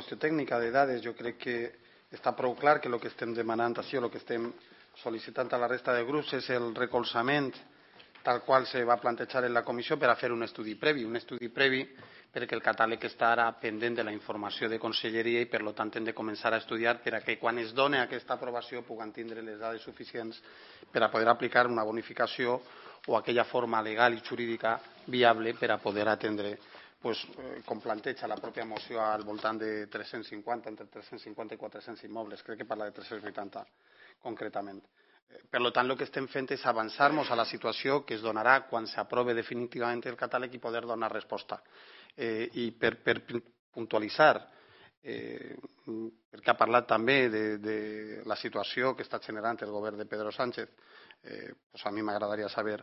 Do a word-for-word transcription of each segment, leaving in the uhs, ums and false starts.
qüestió tècnica de dades. Jo crec que està prou clar que el que estem demanant així, o el que estem sol·licitant a la resta de grups és el recolzament tal qual se va plantejar en la comissió per a fer un estudi previ, un estudi previ perquè el catàleg està ara pendent de la informació de conselleria i per tant hem de començar a estudiar per a que quan es doni aquesta aprovació puguem tindre les dades suficients per a poder aplicar una bonificació o aquella forma legal i jurídica viable per a poder atendre, com planteja la pròpia moció, al voltant de tres-cents cinquanta, entre tres-cents cinquanta i quatre-cents immobles. Crec que parla de tres-cents vuitanta concretament. Per tant, el que estem fent és avançar-nos a la situació que es donarà quan s'aprovi definitivament el catàleg i poder donar resposta. I per puntualitzar, perquè ha parlat també de la situació que està generant el govern de Pedro Sánchez, a mi m'agradaria saber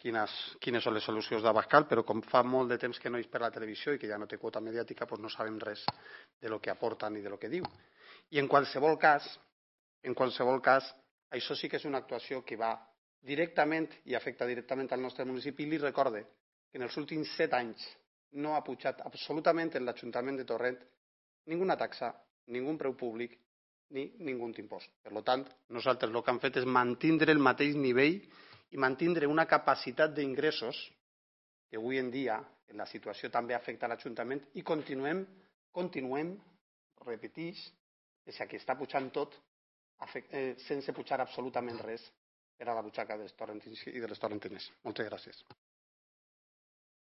quines són les solucions d'Abascal, però com fa molt de temps que no és per la televisió i que ja no té quota mediàtica, no sabem res del que aporta ni del que diu. I en qualsevol cas, en qualsevol cas, això sí que és una actuació que va directament i afecta directament al nostre municipi. I li recorde que en els últims set anys no ha pujat absolutament en l'Ajuntament de Torrent ninguna taxa, ningú preu públic ni ningú impost. Per tant, nosaltres el que hem fet és mantindre el mateix nivell i mantindre una capacitat d'ingressos que avui en dia, en la situació, també afecta l'Ajuntament i continuem, continuem, repeteix, és que està pujant tot sense pujar absolutament res per a la butxaca dels torrentins i de les torrentines. Moltes gràcies.